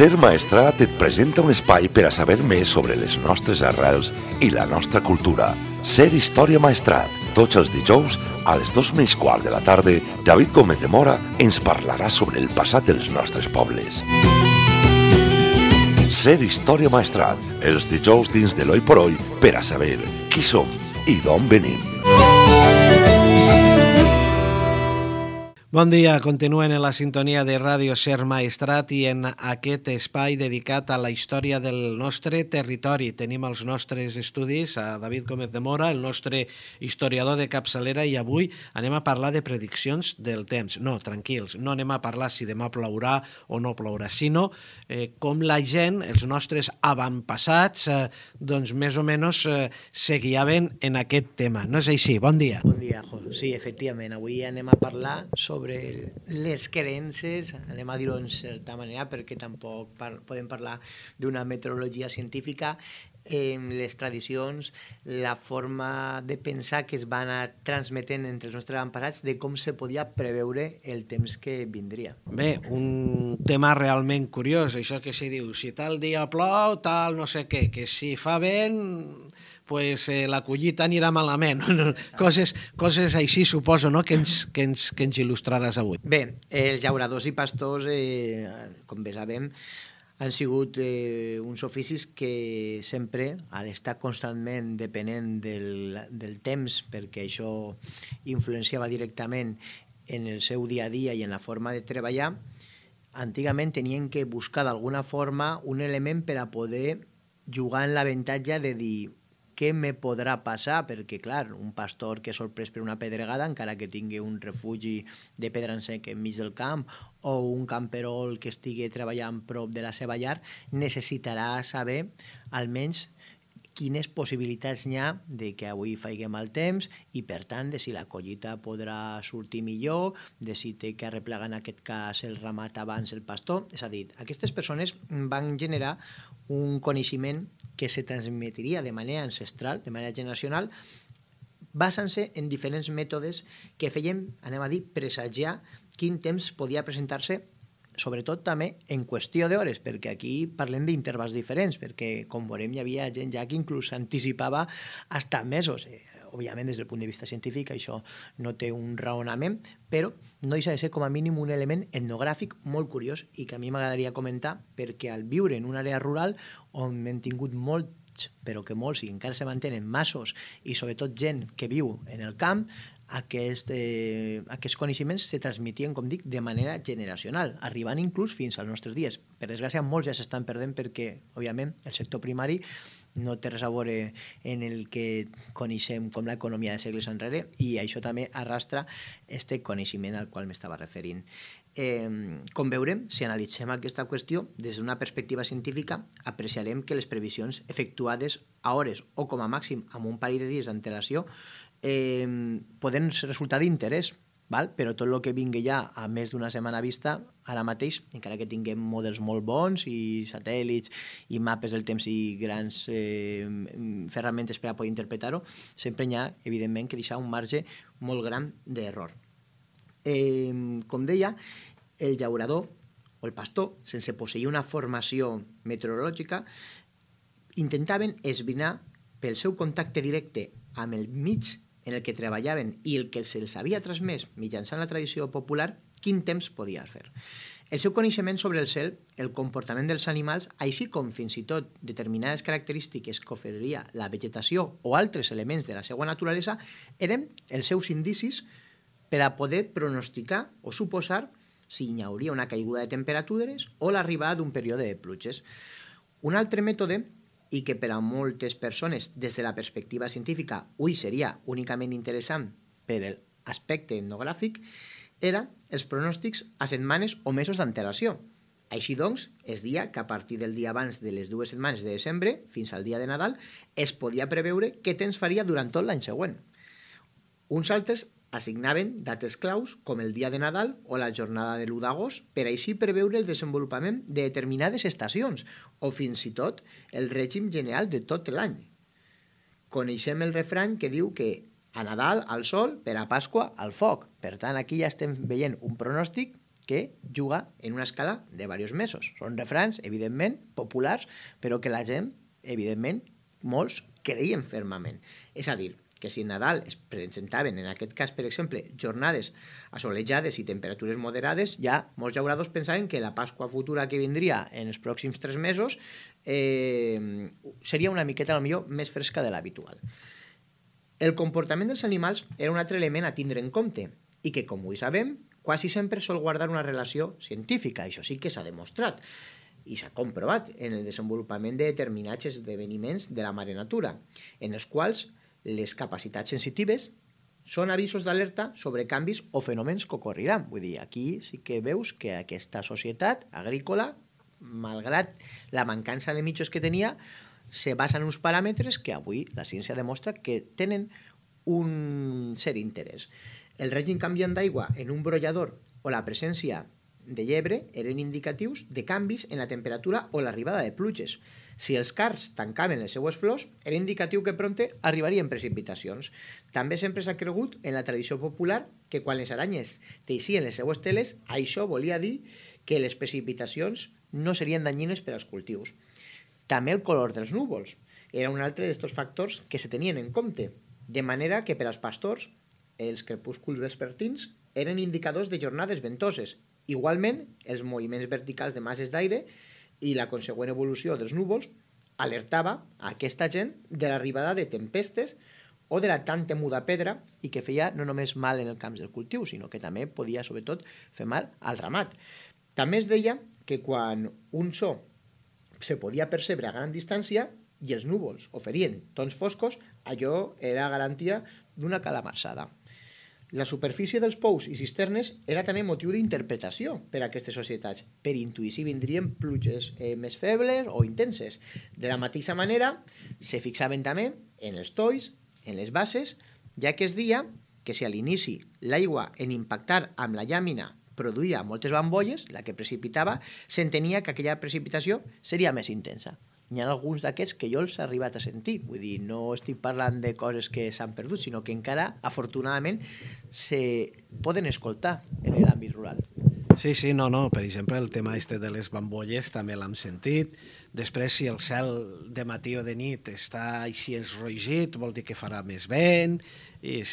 Ser Maestrat et presenta un espai per a saber més sobre les nostres arrels i la nostra cultura. Ser Història Maestrat. Tots els dijous, a les 2:15 de la tarda, David Gómez de Mora ens parlarà sobre el passat dels nostres pobles. Ser Història Maestrat. Els dijous dins de l'Oi por Oi per a saber qui som i d'on venim. Bon dia, continuen en la sintonia de Ràdio Ser Maestrat i en aquest espai dedicat a la història del nostre territori. Tenim els nostres estudis a David Gómez de Mora, el nostre historiador de capçalera, i avui anem a parlar de prediccions del temps. No, tranquils, no anem a parlar si demà plourà o no plourà, sinó com la gent, els nostres avantpassats, doncs més o menys se guiaven en aquest tema. No és així? Bon dia. Bon dia, sí, efectivament. Avui anem a parlar sobre les creences, anem a dir-ho en certa manera perquè tampoc podem parlar d'una meteorologia científica, les tradicions, la forma de pensar que es van anar transmetent entre els nostres avantpassats de com se podia preveure el temps que vindria. Bé, un tema realment curiós, això que se diu, si tal dia plou, tal no sé què, que si fa vent, pues la collita anirà malament. Coses així, suposo, no?, que ens il·lustraràs avui. Bé, els llauradors i pastors, com bé sabem, han sigut uns oficis que sempre, al estar constantment depenent del temps, perquè això influenciava directament en el seu dia a dia i en la forma de treballar, antigament tenien que buscar d'alguna forma un element per a poder jugar en l'avantatge de dir què me podrà passar, perquè, clar, un pastor que és sorprès per una pedregada, encara que tingui un refugi de pedra en sec enmig del camp, o un camperol que estigui treballant prop de la seva llar, necessitarà saber almenys quines possibilitats n'hi ha de que avui faci mal temps i, per tant, de si la collita podrà sortir millor, de si té que arreplegar en aquest cas el ramat abans el pastor. És a dir, aquestes persones van generar un coneixement que se transmetiria de manera ancestral, de manera generacional, basant-se en diferents mètodes que feien, anem a dir, presagiar quin temps podia presentar-se, sobretot també en qüestió d'hores, perquè aquí parlem d'intervals diferents, perquè, com veurem, hi havia gent ja que inclús anticipava fins mesos. Òbviament, des del punt de vista científic, això no té un raonament, però no deixa de ser com a mínim un element etnogràfic molt curiós i que a mi m'agradaria comentar, perquè al viure en una àrea rural on hem tingut molts, però que molts i encara se mantenen massos, i sobretot gent que viu en el camp, aquests coneixements se transmetien, com dic, de manera generacional, arribant inclús fins als nostres dies. Per desgràcia, molts ja s'estan perdent perquè, òbviament, el sector primari no té res a veure en el que coneixem com l'economia de segles enrere, i això també arrastra aquest coneixement al qual m'estava referint. Com veurem, si analitzem aquesta qüestió des d'una perspectiva científica, apreciarem que les previsions efectuades a hores o com a màxim amb un parell de dies d'antelació poden resultar d'interès, però tot el que vingui ja a més d'una setmana vista, ara mateix, encara que tinguem models molt bons i satèl·lits i mapes del temps i grans ferramentes per a poder interpretar-ho, sempre hi ha, evidentment, que deixar un marge molt gran d'error. Com deia, el llaurador o el pastor, sense posseir una formació meteorològica, intentaven esbrinar pel seu contacte directe amb el mig en el que treballaven i el que se'ls havia transmès mitjançant la tradició popular, quin temps podia fer. El seu coneixement sobre el cel, el comportament dels animals, així com fins i tot determinades característiques que oferia la vegetació o altres elements de la seva naturalesa, eren els seus indicis per a poder pronosticar o suposar si hi hauria una caiguda de temperatures o l'arribada d'un període de pluges. Un altre mètode, i que per a moltes persones, des de la perspectiva científica, avui seria únicament interessant per l'aspecte etnogràfic, era els pronòstics a setmanes o mesos d'antelació. Així doncs, es dia que a partir del dia abans de les 2 setmanes de desembre fins al dia de Nadal es podia preveure què temps faria durant tot l'any següent. Uns altres assignaven dates claus com el dia de Nadal o la jornada de l'1 d'agost per així preveure el desenvolupament de determinades estacions o fins i tot el règim general de tot l'any. Coneixem el refrany que diu que a Nadal al sol, per a Pasqua al foc. Per tant, aquí ja estem veient un pronòstic que juga en una escala de diversos mesos. Són refrans, evidentment, populars, però que la gent, evidentment, molts creien fermament. És a dir, que si en Nadal es presentaven, en aquest cas, per exemple, jornades assolellades i temperatures moderades, ja molts llauradors pensaven que la Pasqua futura que vindria en els pròxims 3 mesos seria una miqueta, potser, més fresca de l'habitual. El comportament dels animals era un altre element a tindre en compte i que, com ho sabem, quasi sempre sol guardar una relació científica. Això sí que s'ha demostrat i s'ha comprovat en el desenvolupament de determinats esdeveniments de la mare natura, en els quals les capacitats sensitives són avisos d'alerta sobre canvis o fenòmens que ocorriran. Vull dir, aquí sí que veus que aquesta societat agrícola, malgrat la mancança de mitjos que tenia, se basa en uns paràmetres que avui la ciència demostra que tenen un cert interès. El règim canviant d'aigua en un brollador o la presència de llebre eren indicatius de canvis en la temperatura o l'arribada de pluges. Si els cards tancaven les seues flors, era indicatiu que prompte arribarien precipitacions. També sempre s'ha cregut en la tradició popular que quan les aranyes teixien les seues teles, això volia dir que les precipitacions no serien danyines per als cultius. També el color dels núvols era un altre d'aquests factors que se tenien en compte, de manera que per als pastors els crepúsculs vespertins eren indicadors de jornades ventoses. Igualment, els moviments verticals de masses d'aire i la consegüent evolució dels núvols alertava a aquesta gent de l'arribada de tempestes o de la tan temuda pedra i que feia no només mal en el camp del cultiu, sinó que també podia, sobretot, fer mal al ramat. També es deia que quan un so se podia percebre a gran distància i els núvols oferien tons foscos, allò era garantia d'una calamarsada. La superfície dels pous i cisternes era també motiu d'interpretació per a aquestes societats, per intuir si vindrien pluges més febles o intenses. De la mateixa manera, se fixaven també en els tolls, en les bases, ja que es deia que si a l'inici l'aigua en impactar amb la llàmina produïa moltes bambolles, la que precipitava, s'entenia que aquella precipitació seria més intensa. N'hi ha alguns d'aquests que jo els he arribat a sentir. Vull dir, no estic parlant de coses que s'han perdut, sinó que encara, afortunadament, se poden escoltar en l'àmbit rural. Sí, no. Per exemple, el tema de les bambolles també l'hem sentit. Després, si el cel de matí o de nit està així enrogit, vol dir que farà més vent. I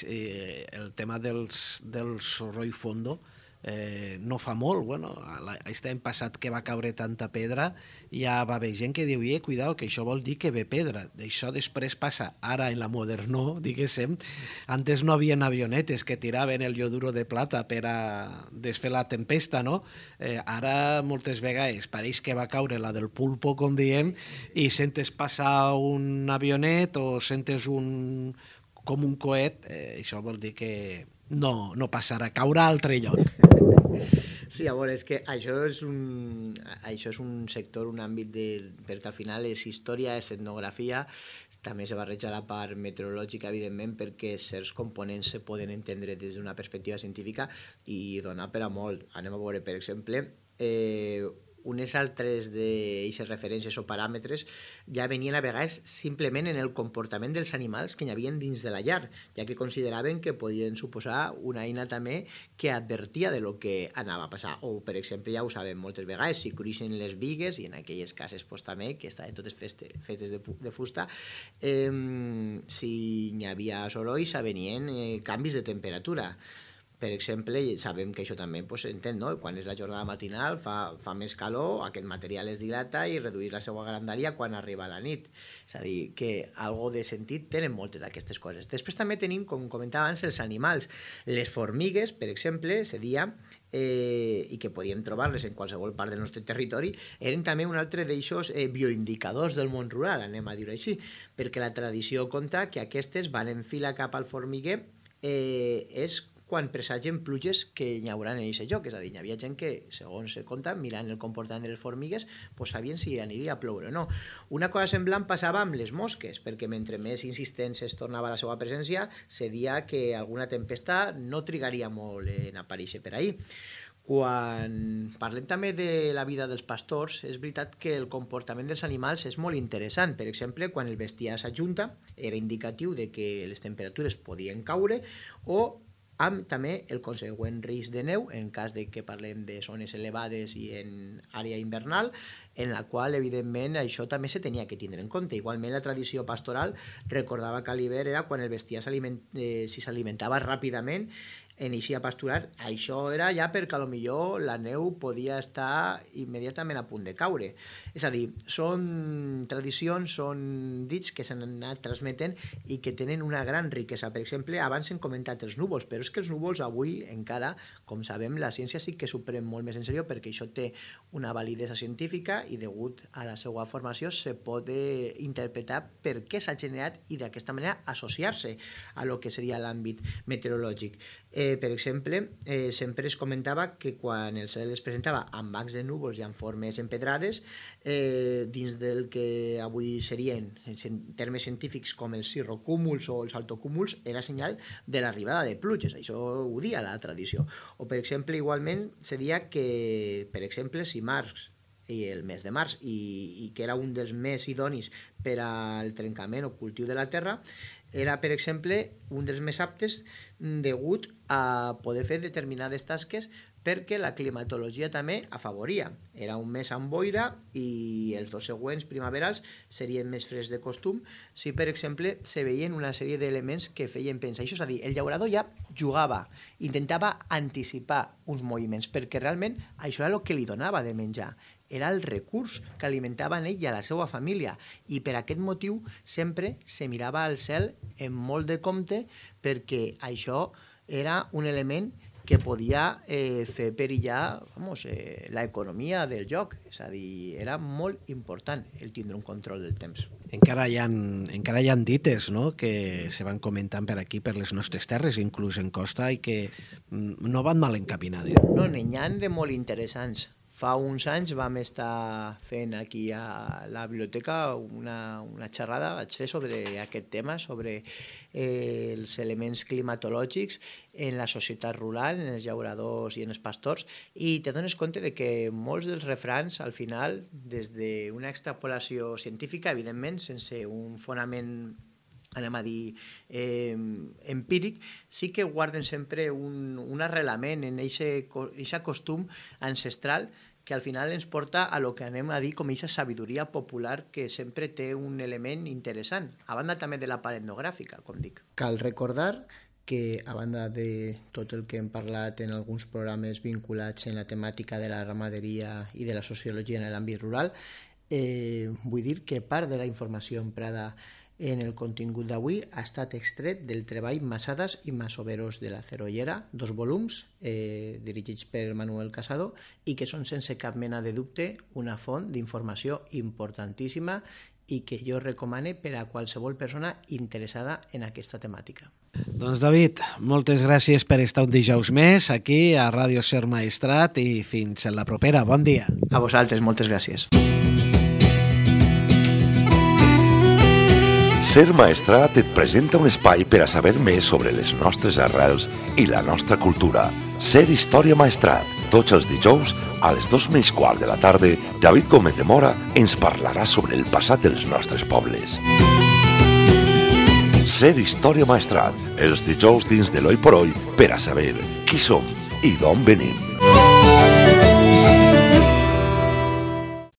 el tema del soroll fondo no fa molt. Bueno, l'any passat que va caure tanta pedra, ja va haver gent que diu, cuidao, que això vol dir que ve pedra. D'això després passa ara en la modernó, diguéssim. Antes no havien avionetes que tiraven el ioduro de plata per a desfer la tempesta, no? Ara moltes vegades pareix que va caure la del pulpo, com diem, i sentes passar un avionet o sentes com un coet, això vol dir que no passarà, caurà a altre lloc. Sí, a veure, és que això és un sector, un àmbit perquè al final és història, és etnografia, també se barreja la part meteorològica, evidentment, perquè certs components se poden entendre des d'una perspectiva científica i donar per a molt. Anem a veure, per exemple, unes altres d'aquestes referències o paràmetres ja venien a vegades simplement en el comportament dels animals que hi havia dins de la llar, ja que consideraven que podien suposar una eina també que advertia de lo que anava a passar. O, per exemple, ja ho sabem moltes vegades, si cruixen les bigues, i en aquelles cases també, que estaven totes fetes de fusta, si hi havia soroll, venien canvis de temperatura. Per exemple, sabem que això també s'entén, no? Quan és la jornada matinal fa més calor, aquest material es dilata i redueix la seva grandària quan arriba la nit. És a dir, que algo de sentit tenen moltes d'aquestes coses. Després també tenim, com comentava abans, els animals. Les formigues, per exemple, se deia, i que podíem trobar-les en qualsevol part del nostre territori, eren també un altre d'eixos bioindicadors del món rural, anem a dir-ho així, perquè la tradició conta que aquestes van en fila cap al formiguer és quan presagen pluges que hi haurà en aquest lloc. És a dir, hi havia gent que, segons se conta, mirant el comportament de les formigues, sabien si aniria a ploure o no. Una cosa semblant passava amb les mosques, perquè mentre més insistents es tornava la seva presència, se deia que alguna tempesta no trigaria molt en aparèixer per ahir. Quan parlem també de la vida dels pastors, és veritat que el comportament dels animals és molt interessant. Per exemple, quan el bestiar s'ajunta, era indicatiu de que les temperatures podien caure o amb també el consegüent risc de neu, en cas de que parlem de zones elevades i en àrea invernal, en la qual, evidentment, això també se tenia que tindre en compte. Igualment, la tradició pastoral recordava que a l'hivern era quan el bestiar si s'alimentava ràpidament en eixir a pasturar. Això era ja perquè potser la neu podia estar immediatament a punt de caure. És a dir, són tradicions, són dits que s'han anat transmetent i que tenen una gran riquesa. Per exemple, abans hem comentat els núvols, però és que els núvols avui encara, com sabem, la ciència sí que s'ho pren molt més en sèrio perquè això té una validesa científica i degut a la seva formació se pot interpretar per què s'ha generat i d'aquesta manera associar-se a lo que seria l'àmbit meteorològic. Per exemple, sempre es comentava que quan el cel es presentava amb bancs de núvols i amb formes empedrades, dins del que avui serien, en termes científics, com els cirrocúmuls o els altocúmuls, era senyal de l'arribada de pluges. Això ho dia la tradició. O, per exemple, igualment, se dia que, per exemple, si març i el mes de març, i que era un dels més idonis per al trencament o cultiu de la terra, era, per exemple, un dels més aptes degut a poder fer determinades tasques perquè la climatologia també afavoria. Era un mes amb boira i els dos següents primaverals serien més freds de costum si, per exemple, se veien una sèrie d'elements que feien pensar. Això és a dir, el llaurador ja jugava, intentava anticipar uns moviments, perquè realment això era el que li donava de menjar. Era el recurs que alimentava en ell i a la seva família, i per aquest motiu sempre se mirava al cel amb molt de compte, perquè això era un element que podia fer perillar l'economia del lloc. És a dir, era molt important el tindre un control del temps. Encara hi ha dites, no?, que se van comentant per aquí, per les nostres terres, inclús en costa, i que no van mal encaminades. No, n'hi ha de molt interessants. Fa uns anys vam estar fent aquí a la biblioteca una xerrada, vaig fer sobre aquest tema, sobre els elements climatològics en la societat rural, en els llauradors i en els pastors, i te dones compte de que molts dels refrans, al final, des d'una extrapolació científica, evidentment, sense un fonament, anem a dir, empíric, sí que guarden sempre un arrelament en aquest costum ancestral que al final ens porta a lo que anem a dir com aquesta sabidoria popular que sempre té un element interessant, a banda també de la part etnogràfica, com dic. Cal recordar que, a banda de tot el que hem parlat en alguns programes vinculats en la temàtica de la ramaderia i de la sociologia en l'àmbit rural, vull dir que part de la informació emprada en el contingut d'avui ha estat extret del treball Masadas i Masoveros de la Cerollera, 2 volums dirigits per Manuel Casado i que són sense cap mena de dubte una font d'informació importantíssima i que jo recomane per a qualsevol persona interessada en aquesta temàtica. Doncs David, moltes gràcies per estar un dijous més aquí a Ràdio Ser Maestrat i fins en la propera. Bon dia. A vosaltres, moltes gràcies. Ser Maestrat et presenta un espai per a saber més sobre les nostres arrels i la nostra cultura. Ser Història Maestrat. Tots els dijous, a les 2:15 de la tarda, David Gómez de Mora ens parlarà sobre el passat dels nostres pobles. Ser Història Maestrat. Els dijous dins de l'Hoy por Hoy per a saber qui som i d'on venim.